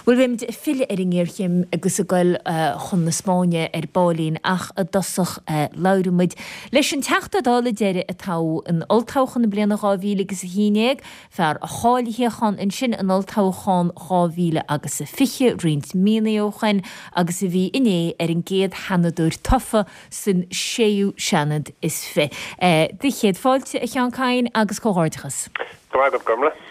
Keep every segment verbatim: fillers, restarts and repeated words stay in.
Bhuel, beimid ag filleadh ar an ngéarchéim agus ag goil chun na Spáinne ar baillín ach i dtosach labhróidh muid leis an Teachta Dála deiridh a toghadh in olltoghchán na bliana dhá mhíle agus a haon déag, fear a chaill a shuíochán ansin in olltoghchán dhá mhíle agus a fiche roinnt míonna ó shoin agus a bhí inné ar an gcéad Sheanadóir tofa san séú Seanad is fiche. Do chéad fáilte, a Sheáin Kyne, agus comhghairdeachas. Go raibh maith agat, Gormlaith.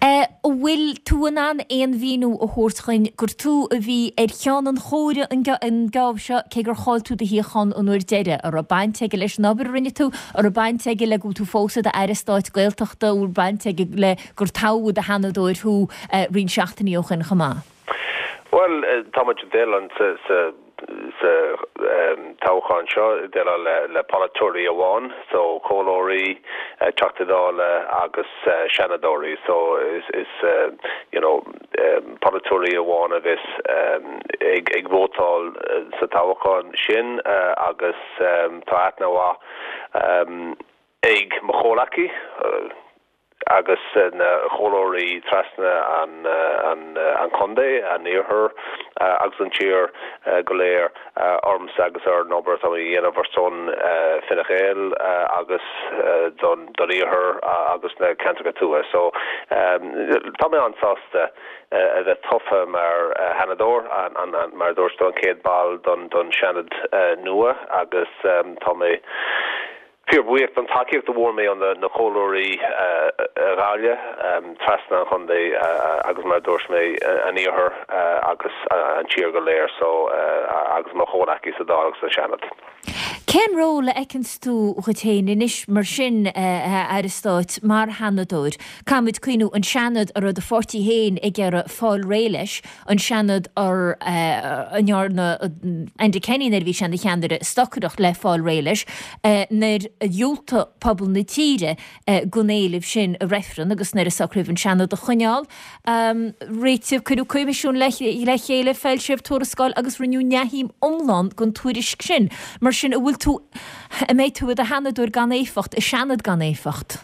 An bhfuil tú in ann aon mhíniú a thabhairt dhuinn gur tú a bhí ar cheann an chomhairimh an geábh seo, cé gur chaill tú do shuíochán an uair deiridh? An raibh baint aige leis an obair a rinne tú? An raibh baint aige le go bhfuil tú fós i d'Aire Stáit Gaeltachta? An bhfuil baint aige le gur toghadh i do Sheanadóir thú roinnt seachtainí ó shoin chomh maith? Bhuel, tá muid ag déileáil sa sa toghchán seo, ag déileáil le polaiteoirí amháin, so comhairleoirí, Teachtaí Dála agus Seanadóirí. So is is you know polaiteoirí amháin a bheas ag ag vótáil sa toghchán sin agus tá aithne mhaith ag mo chomhleacaí agus na comhairleoirí trasna an an an chontae, an iarthar agus an tír go léir ormsa agus ar an obair atá mé a dhéanamh ar son Fine Gael agus don don iarthar agus na ceantracha tuaithe. So tá mé an-sásta a bheith tofa mar Sheanadóir, an an mar a dúirt tú an chéad ball don don Seanad nua agus tá mé fíorbhuíoch don tacaíocht a bhfuair mé ó na comhairleoirí a Ghaillimh trasna an chontae agus mar a dúirt mé an iarthar agus an tír go léir so agus mo chomhleacaí sa Dáil agus sa Seanad. Cén ról a fheiceanns tú dhuit féin anois mar sin, a Aire Stáit, mar Sheanadóir? Caithfimid cuimhniú, an Seanad a raibh do pháirtí féin ag iarraidh fáil réidh leis, an Seanad a ndearna Enda Kenny nuair a bhí sé ina cheannaire stocaireacht le fáil réidh leis, nuair a dhiúltaigh pobal na tíre don éileamh sin i reifreann agus nuair a socraíodh an Seanad a choinneáil réitigh, cuireadh coimisiún le chéile, foilsíodh tuarascáil agus rinneadh neamhshuim iomlán den tuairisc sin. Mar sin, an bhfuil tú, an mbeidh tú i do Sheanadóir gan éifeacht, i Seanad gan éifeacht?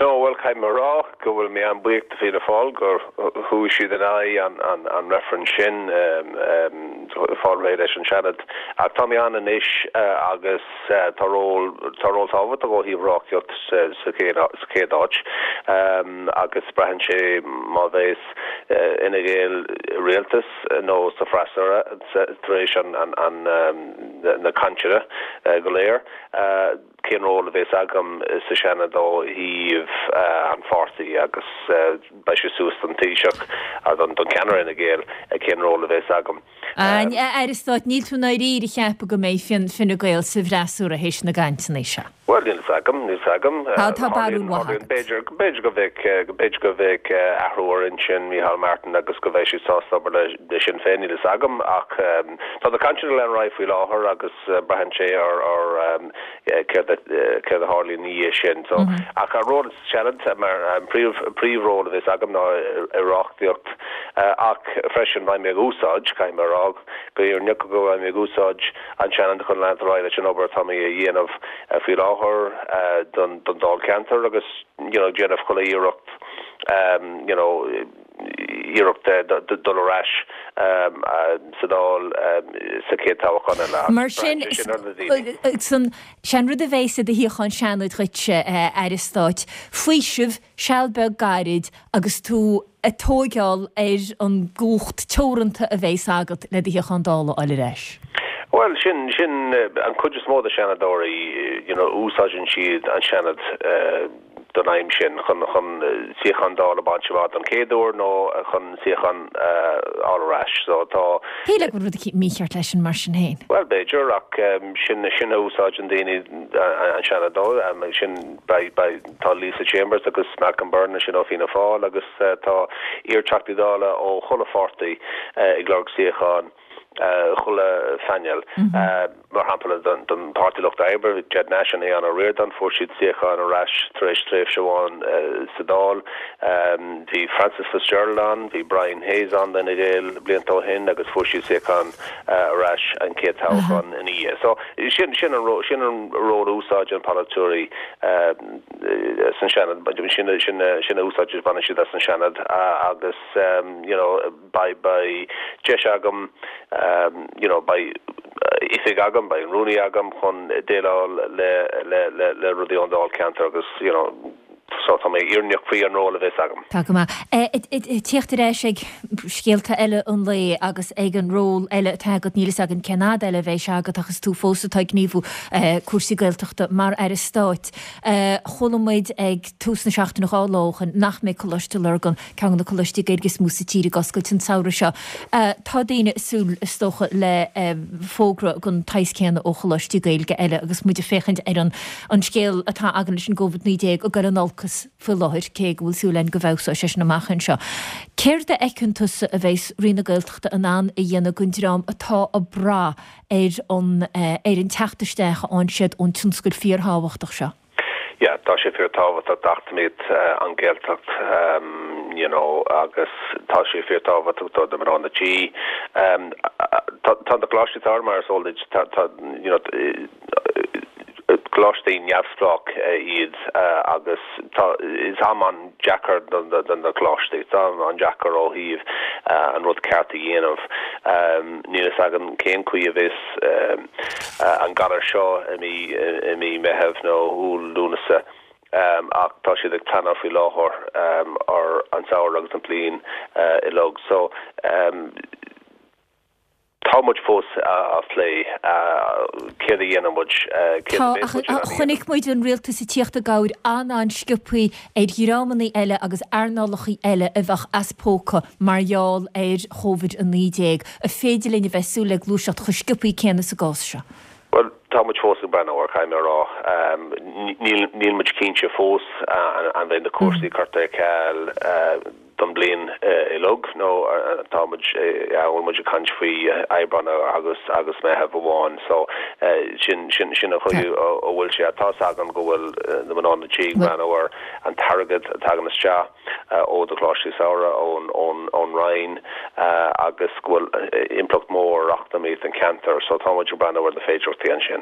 No, bhuel, caithfidh mé a rá go bhfuil mé an-bhuíoch do Fianna Fáil gur chuaigh siad in aghaidh an an reifreann sin fáil réidh leis an Seanad. Ach tá mé ann anois agus tá ról tá ról tábhachtach ó thaobh reachtaíocht sa sa chéad áit agus braitheann sé má bheas Fhine Gael i rialtas nó sa bhfreasúra tar éis an an na cainteanna go léir. cén ról a bheas agam sa Seanad ó thaobh an pháirtí agus beidh sé suas don Taoiseach, don cheannaire Fhine Gael cén ról a bheas agam. A Aire Stáit, níl tú i ndáiríre ag ceapadh go mbeidh Fine Gael sa bhfreasúra théis na gcainteanna seo? Bhuel, níl fhios agam, níl fhios agam. Tá, tá barúil mhaith agat. B'fhéidir, b'fhéidir go mbeidh, b'fhéidir go mbeidh athrú ar intinn Micheál Martin agus go mbeidh siad sásta obair le Sinn Féin, níl fhios agam ach tá na cainteanna ag lean ar aghaidh faoi láthair agus braitheann sé ar, ar céard a céard a tharlaíonn ina dhiaidh sin. So, ach an ról sa Seanad mar an príomh príomhról a bheas agam ná i reachtaíocht ach freisin beidh mé ag úsáid, caithfidh mé a rá go fhírinneach go mbeidh mé ag úsáid an Seanad chun leanúint ar aghaidh leis an obair atá mé a dhéanamh faoi láthair don don Dáilcheantar agus you know déanamh chuile iarracht you know iarracht dul ar ais sa Dáil sa chéad toghchán eile. Mar sin, sé an rud a bheas i do shuíochán Seanaid dhuitse, a Aire Stáit, faoiseamh, seal beag gairid agus tú ag tóigeáil ar an gcumhacht teoranta a bheas agat le do shuíochán Dála a fháil ar ais. Bhuel, sin, sin an chuid is mó de Sheanadóirí, you know, úsáideann siad an Seanad, don aidhm sin, chun chun suíochán Dála a bhaint amach don chéad uair nó chun suíochán a fháil ar ais. So tá. Shílfeá go bhfuil rud eicínt mícheart leis sin mar sin féin. Bhuel, b'fhéidir, ach sin sin a úsáideann daoine an Seanad dó. Sin beidh beidh tá Lisa Chambers agus Malcolm Byrne ansin ó Fianna Fáil agus tá iar-Teachtaí Dála ó chuile pháirtí ag lorg suíochán. chuile phainéal. Mar shampla don don Páirtí Lucht Oibre, Ged Nash and Aodhán Ó Ríordáin, fuair siad suíochán ar ais tar éis tréimhse amháin sa Dáil. Bhí Frances Fitzgerald ann, bhí Brian Hayes ann d'Fhine Gael blianta ó shin agus fuair siad suíochán ar ais an chéad toghchán ina dhiaidh. So sin sin an sin an ról a úsáideann polaiteoirí san Seanad, sin sin sin a úsáid a bhaineann siad as an Seanad agus you know beidh beidh deis agam you know beidh oifig agam, beidh an rúnaí agam chun déileáil le le le le rudaí ón Dáilcheantar agus you know so tá mé imníoch faoi an ról a bheas agam. Tá go maith. Tíocht ar ais ag scéalta eile an lae agus ag an ról eile atá agat níl a fhios againn cén fhad eile a bheidh sé agat ach is tú fós atá ag gníomhú cúrsaí Gaeltachta mar Aire Stáit. Chuala muid ag tús na seachtaine dhá lá ó shin nach mbeidh Coláiste Lurgan, ceann de na coláistí Gaeilge is mó sa tír ag oscailt an samhradh seo. Tá daoine ag súil is dócha le fógra den tsaghas céanna ó choláistí Gaeilge eile agus muid ag féachaint ar an an scéal atá againn leis an gCovid naoi déag ag dul in olcas faoi láthair, cé go bhfuil súil againn go bhfeabhsóidh sé sin amach anseo. Céard a fheiceann tusa a bheas Roinn na Gaeltachta in ann a dhéanamh don dream atá ag brath ar an ar an teacht isteach a fhaigheann siad ón tionscal fíorthábhachtach seo? Yeah, tá sé fíorthábhachtach d'eacnamaíocht an Ghaeltacht you know agus tá sé fíorthábhachtach do do mná na tí. Tá tá na coláistí samhraidh mar is eol duit tá tá you know coláistí neamhspleách iad agus tá is am an-deacair do do na coláistí, tá an-deacair ó thaobh an rud ceart a dhéanamh. Níl a fhios againn cén chaoi a bheas an galar seo i mí i mí Meitheamh nó Iúil Lúnasa ach tá siad ag pleanáil faoi láthair ar an samhradh agus an bliain uilig. So tá muid fós á phlé céard a dhéanann muid, céard a bheas muid in ann a dhéanamh. Chonaic muid an rialtas ag tíocht i gcabhair an-an-sciobthaí ar dhreamanna eile agus earnálacha eile a bheadh as póca mar gheall ar Chovid a naoi déag. An féidir linn a bheith ag súil le gluaiseacht chomh sciobthaí céanna sa gcás seo? Bhuel, tá muid fós ag breathnú air, caithfidh mé a rá. Níl níl muid cinnte fós an mbeidh na cúrsaí curtha ar ceal don bliain uilig nó tá muid bhfuil muid ag caint faoi Aibreán agus agus Meitheamh amháin so sin sin sin an chaoi a bhfuil sé tá agam go bhfuil na mná na tí ag breathnú ar an t-airgead a thagann isteach ó do choláistí samhraidh ón ón ón Roinn agus go bhfuil impleacht mór eacnamaíocht an ceantar so tá muid ag breathnú ar na féidearthachtaí ansin.